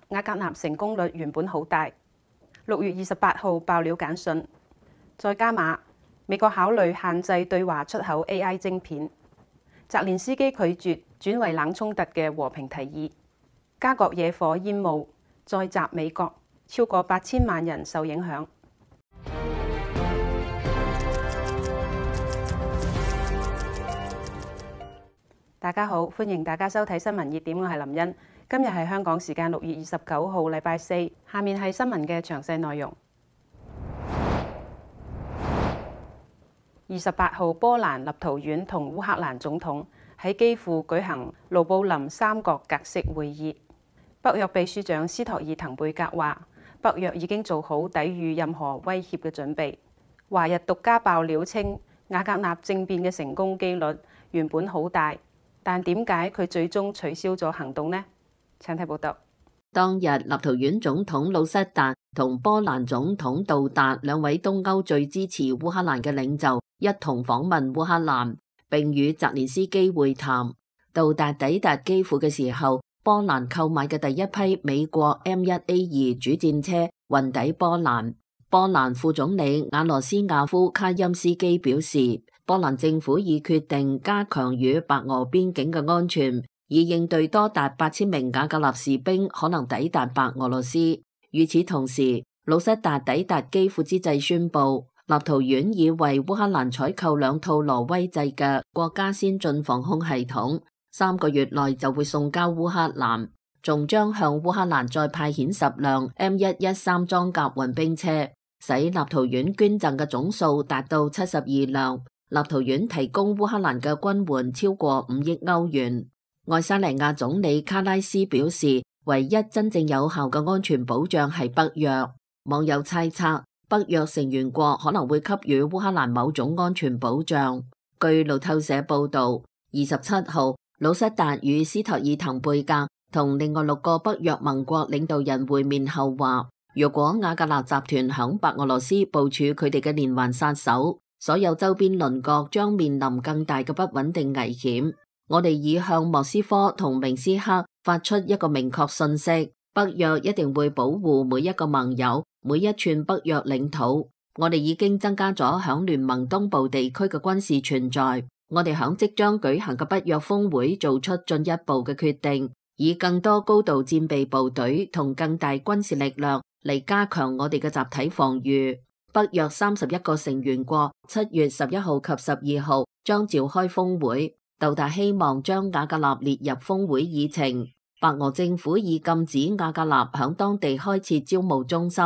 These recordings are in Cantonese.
瓦格納成功率原本好大。6月28號爆料簡訊，再加碼，美國考慮限制對華出口 AI 晶片。澤連斯基拒絕轉為冷衝突嘅和平提議。加國野火煙霧再襲美國，超過8000萬人受影響。大家好，歡迎大家收睇新聞熱點，我係林茵。今日係香港時間6月29號，禮拜四。下面係新聞嘅詳細內容。28號，波蘭、立陶宛同烏克蘭總統喺基輔舉行盧布林三角格式會議。北約秘書長斯托爾滕貝格話：北約已經做好抵禦任何威脅嘅準備。華日獨家爆料稱，瓦格納政變嘅成功機率原本好大，但點解佢最終取消咗行動呢？請睇報道。當日，立陶宛總統魯塞達同波蘭總統杜達兩位東歐最支持烏克蘭嘅領袖一同訪問烏克蘭，並與澤連斯基會談。杜達抵達基輔嘅時候，波蘭購買嘅第一批美國 M1A2 主戰車運抵波蘭。波蘭副總理瓦羅斯亞夫卡欽斯基表示，波蘭政府已決定加強與白俄邊境嘅安全，以應對多達8000名瓦格納士兵可能抵達白俄羅斯。與此同時，魯塞達抵達基輔之際宣布，立陶宛已為烏克蘭採購2套挪威製嘅國家先進防空系統，3個月內就會送交烏克蘭，仲將向烏克蘭再派遣10輛 M113 裝甲運兵車，使立陶宛捐贈嘅總數達到72輛。立陶宛提供烏克蘭嘅軍援超過5億歐元。愛沙尼亞總理卡拉斯表示，唯一真正有效嘅安全保障係北約。網友猜測，北約成員國可能會給予烏克蘭某種安全保障。據路透社報道，27號，魯塞達與斯托爾滕貝格同另外6個北約盟國領導人會面後話，如果瓦格納集團響白俄羅斯部署佢哋嘅連環殺手，所有周邊鄰國將面臨更大嘅不穩定危險。我哋已向莫斯科同明斯克發出一個明確信息，北約一定會保護每一個盟友，每一寸北約領土。我哋已經增加咗響聯盟東部地區嘅軍事存在。我哋響即將舉行嘅北約峰會做出進一步嘅決定，以更多高度戰備部隊同更大軍事力量嚟加強我哋嘅集體防禦。北約31個成員國7月11號及12號將召開峰會，杜達希望將瓦格納列入峰會議程。白俄政府已禁止瓦格納響當地開設招募中心，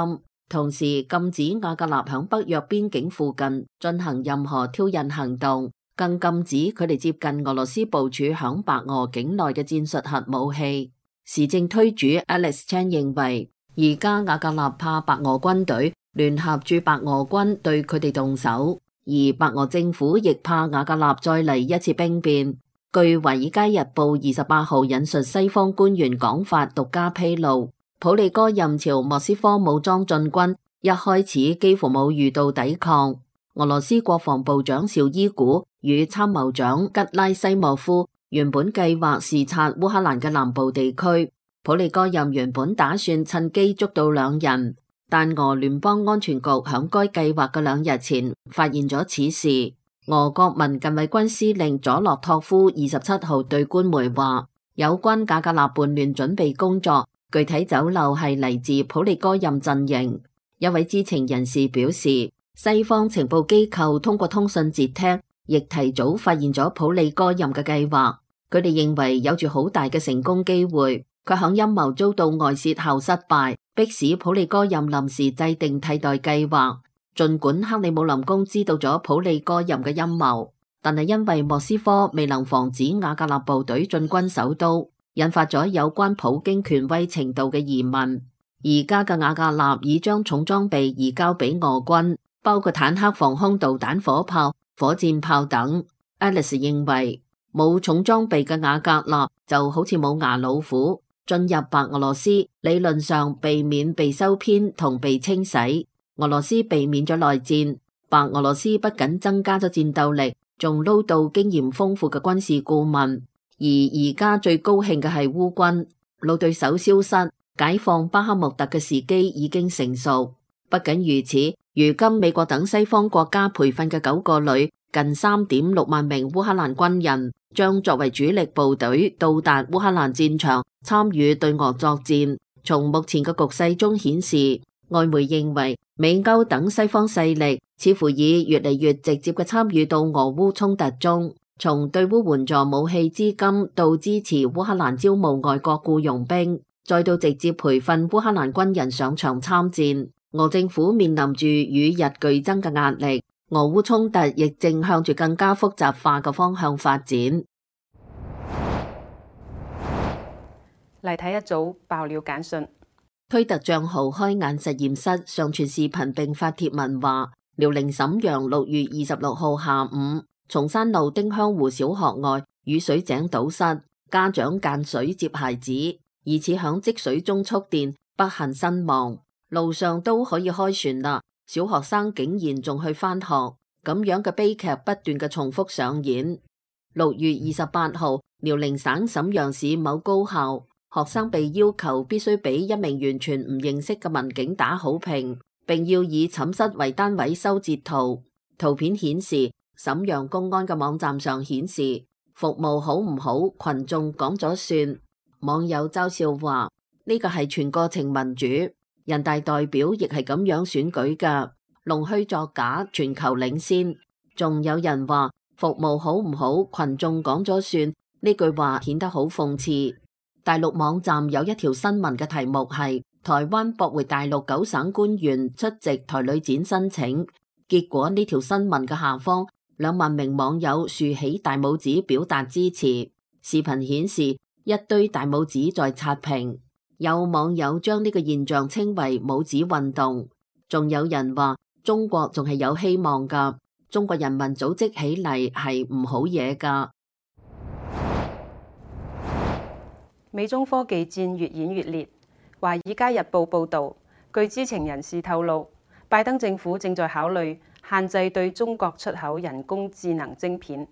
同時禁止瓦格納響北約邊境附近進行任何挑釁行動，更禁止佢哋接近俄羅斯部署響白俄境內嘅戰術核武器。時政推主 Alex Chan 認為，而家瓦格納怕白俄軍隊聯合駐白俄軍對佢哋動手，而白俄政府亦怕瓦格納再嚟一次兵變。據《華爾街日報》28號引述西方官員講法獨家披露，普利戈任朝莫斯科武裝進軍，一開始幾乎冇遇到抵抗。俄羅斯國防部長紹伊古與參謀長吉拉西莫夫原本計劃視察烏克蘭嘅南部地區，普利戈任原本打算趁機捉到2人。但俄聯邦安全局響該計劃嘅2日前發現咗此事。俄國民近衛軍司令佐洛托夫27號對官媒話，有關瓦格納叛亂準備工作具體走漏係嚟自普利戈任陣營。一位知情人士表示，西方情報機構通過通訊節聽亦提早發現咗普利戈任嘅計劃，佢哋認為有住好大嘅成功機會。佢響陰謀遭到外泄後失敗，迫使普利戈任臨時制定替代計劃。儘管克里姆林宮知道咗普利戈任嘅陰謀，但係因為莫斯科未能防止瓦格納部隊進軍首都，引發咗有關普京權威程度嘅疑問。而家嘅瓦格納已將重裝備移交俾俄軍，包括坦克、防空導彈、火炮、火箭炮等。Alice 認為，冇重裝備嘅瓦格納就好似冇牙老虎，進入白俄羅斯理論上避免被收編同被清洗。俄羅斯避免咗內戰，白俄羅斯不僅增加咗戰鬥力，仲撈到經驗豐富嘅軍事顧問。而家最高興嘅係烏軍，老對手消失，解放巴克穆特嘅時機已經成熟。不僅如此，如今美國等西方國家培訓嘅9個旅近3.6萬名烏克蘭軍人，將作為主力部隊到達烏克蘭戰場，參與對俄作戰。從目前嘅局勢中顯示，外媒認為美歐等西方勢力似乎已越嚟越直接嘅參與到俄烏衝突中，從對烏援助武器資金到支持烏克蘭招募外國僱傭兵，再到直接培訓烏克蘭軍人上場參戰。俄政府面臨住與日俱增嘅壓力，俄烏衝突亦正向住更加複雜化嘅方向發展。嚟睇一組爆料簡訊。推特賬號開眼實驗室上傳視頻並發帖文話，遼寧瀋陽6月26號下午，松山路丁香湖小學外雨水井堵塞，家長間水接孩子，疑似響積水中觸電，不幸身亡。路上都可以開船啦，小學生竟然仲去返學，咁樣嘅悲劇不斷嘅重複上演。6月28號，遼寧省瀋陽市某高校，學生被要求必須俾一名完全唔認識嘅民警打好評，並要以寢室為單位修截圖。圖片顯示，瀋陽公安嘅網站上顯示服務好唔好，群眾講咗算。網友嘲笑話：呢個係全過程民主，人大代表亦係咁樣選舉噶，弄虛作假，全球領先。仲有人話服務好唔好，群眾講咗算，呢句話顯得好諷刺。大陸網站有一條新聞嘅題目係台灣駁回大陸9省官員出席台旅展申請，結果呢條新聞嘅下方2萬名網友豎起大拇指表達支持。視頻顯示一堆大拇指在刷屏，有網友將呢個現象稱為拇指運動。仲有人話中國仲係有希望噶，中國人民組織起嚟係唔好嘢噶。美中科技戰越演越烈。華爾街日報報導，據知情人士透露，拜登政府正在考慮限制對中國出口人工智能晶片。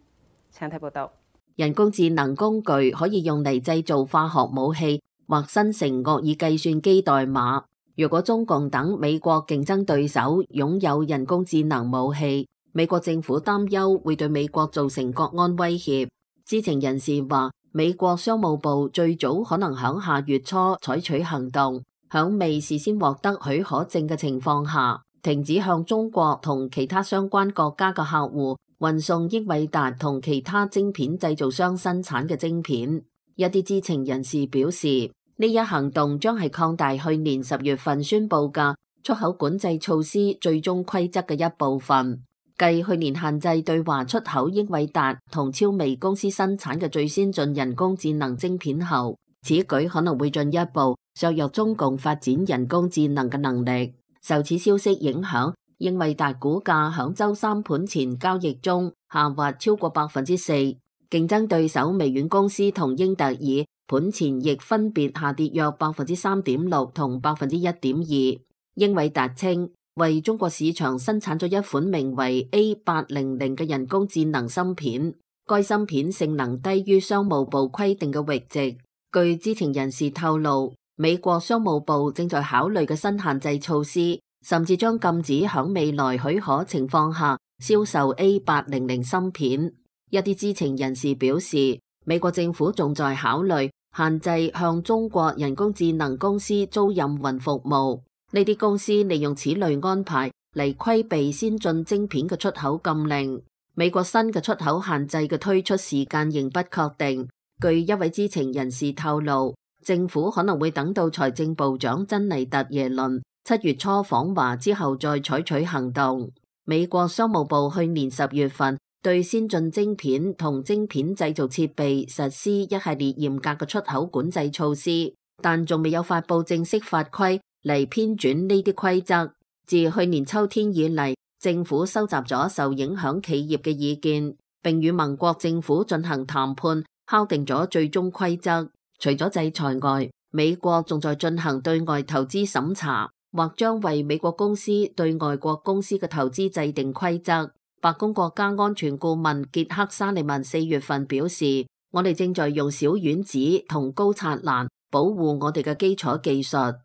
請睇報導。人工智能工具可以用嚟製造化學武器或生成惡意計算機代碼。如果中共等美國競爭對手擁有人工智能武器，美國政府擔憂會對美國造成國安威脅。知情人士話，美國商務部最早可能響下月初採取行動，響未事先獲得許可證嘅情況下，停止向中國同其他相關國家嘅客戶運送英偉達同其他晶片製造商生產嘅晶片。一啲知情人士表示，呢一行動將係擴大去年10月份宣布嘅出口管制措施最終規則嘅一部分。繼去年限制對華出口英偉達同超微公司生產嘅最先進人工智能晶片後，此舉可能會進一步削弱中共發展人工智能嘅能力。受此消息影響，英偉達股價響周三盤前交易中下滑超過4%，競爭對手微軟公司同英特爾盤前亦分別下跌約3.6%同1.2%。英偉達稱，為中國市場生產咗一款名為 A800 嘅人工智能芯片，該芯片性能低於商務部規定嘅閾值。據知情人士透露，美國商務部正在考慮嘅新限制措施，甚至將禁止響未來許可情況下銷售 A800 芯片。一啲知情人士表示，美國政府仲在考慮限制向中國人工智能公司租賃雲服務。呢啲公司利用此類安排嚟規避先進晶片嘅出口禁令。美國新嘅出口限制嘅推出時間仍不確定。據一位知情人士透露，政府可能會等到財政部長珍妮特耶倫7月初訪華之後再採取行動。美國商務部去年10月份對先進晶片同晶片製造設備實施一系列嚴格嘅出口管制措施，但仲未有發布正式法規嚟編纂呢啲規則。自去年秋天以嚟，政府收集咗受影響企業嘅意見，並與盟國政府進行談判，敲定咗最終規則。除咗制裁外，美國仲在進行對外投資審查，或將為美國公司對外國公司嘅投資制定規則。白宮國家安全顧問傑克沙利文4月份表示，我哋正在用小丸子同高察蘭保護我哋嘅基礎技術。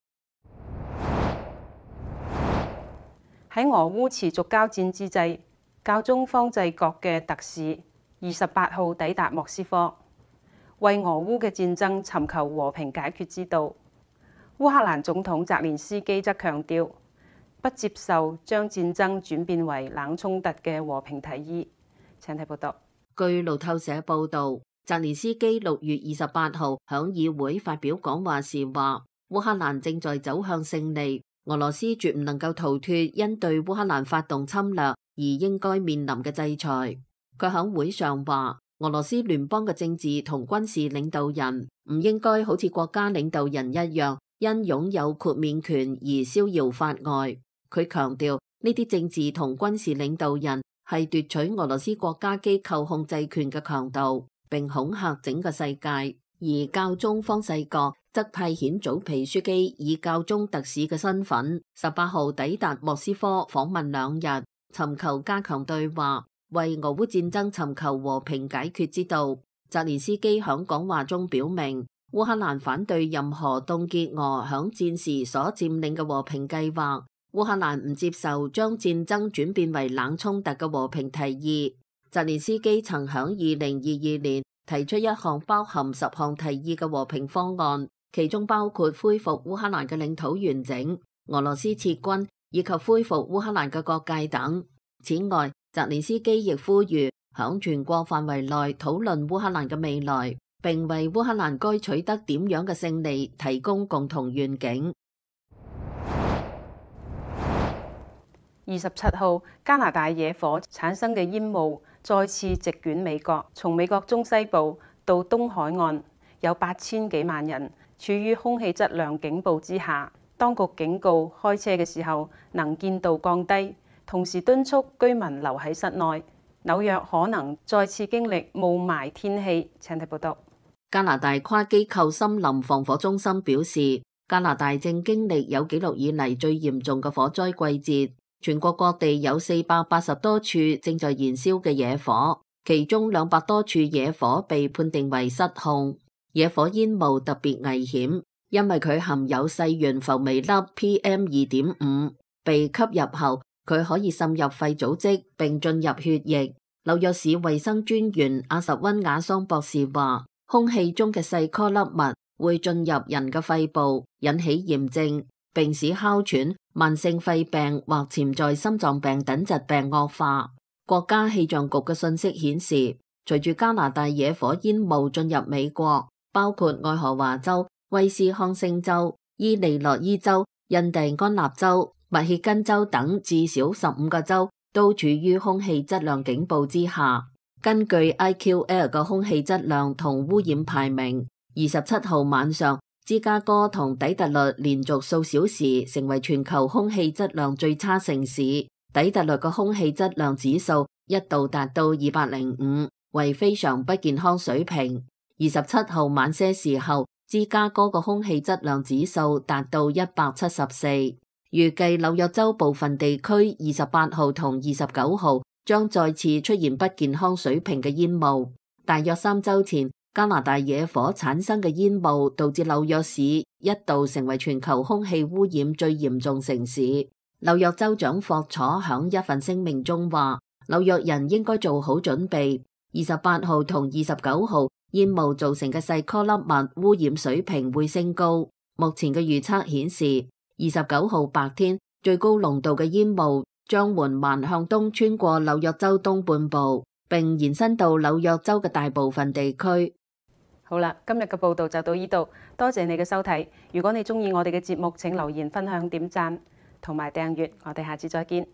喺俄烏持續交戰之際，教宗方濟各嘅特使28號抵達莫斯科，為俄烏嘅戰爭尋求和平解決之道。烏克蘭總統澤連斯基則強調，不接受將戰爭轉變為冷衝突嘅和平提議。請睇報道。據路透社報導，澤連斯基6月28號響議會發表講話時話，烏克蘭正在走向勝利，俄羅斯絕唔能夠逃脫因對烏克蘭發動侵略而應該面臨嘅制裁。佢響會上話，俄羅斯聯邦嘅政治同軍事領導人唔應該好似國家領導人一樣，因擁有豁免權而逍遙法外。佢強調，呢啲政治同軍事領導人係奪取俄羅斯國家機構控制權嘅強盜，並恐嚇整個世界。而教宗方濟各則派遣總皮書記以教宗特使嘅身份，18號抵達莫斯科訪問2日，尋求加強對話，為俄烏戰爭尋求和平解決之道。澤連斯基響講話中表明，烏克蘭反對任何凍結俄響戰時所佔領嘅和平計劃。烏克蘭唔接受將戰爭轉變為冷衝突嘅和平提議。澤連斯基曾響2022年提出一項包含10項提議嘅和平方案，其中包括恢復烏克蘭嘅領土完整、俄羅斯撤軍以及恢復烏克蘭嘅國界等。此外，澤連斯基亦呼籲響全國範圍內討論烏克蘭嘅未來，並為烏克蘭該取得點樣嘅勝利提供共同願景。27號，加拿大野火產生嘅煙霧再次席捲美國，從美國中西部到東海岸，有8000幾萬人處於空氣質量警報之下。當局警告開車嘅時候能見度降低，同時敦促居民留喺室內。紐約可能再次經歷霧霾天氣。請睇報道。加拿大跨機構森林防火中心表示，加拿大正經歷有紀錄以嚟最嚴重嘅火災季節。全國各地有480多處正在燃燒嘅野火，其中200多處野火被判定為失控。野火煙霧特別危險，因為佢含有細懸浮微粒 PM2.5，被吸入後佢可以滲入肺組織並進入血液。紐約市衛生專員阿什溫亞桑博士話，空氣中嘅細顆粒物會進入人嘅肺部，引起炎症，並使哮喘、慢性肺病或潛在心臟病等疾病惡化。國家氣象局嘅信息顯示，隨住加拿大野火煙霧進入美國，包括愛荷華州、威斯康星州、伊利諾伊州、印第安納州、密歇根州等至少15個州都處於空氣質量警報之下。根據 IQAir 嘅空氣質量同污染排名，27號晚上，芝加哥同底特律連續數小時成為全球空氣質量最差城市。底特律嘅空氣質量指數一度達到205，為非常不健康水平。27號晚些時候，芝加哥嘅空氣質量指數達到174。預計紐約州部分地區28號同29號將再次出現不健康水平嘅煙霧。大約3週前，加拿大野火產生嘅煙霧導致紐約市一度成為全球空氣污染最嚴重城市。紐約州長霍楚響一份聲明中話，紐約人應該做好準備。28號同29號煙霧造成嘅細顆粒物污染水平會升高。目前嘅預測顯示，29號白天最高濃度嘅煙霧將緩慢向東穿過紐約州東半部，並延伸到紐約州嘅大部分地區。好啦，今日嘅報道就到呢度，多謝你嘅收睇。如果你鍾意我哋嘅節目，請留言、分享、點讚同埋訂閱。我哋下次再見。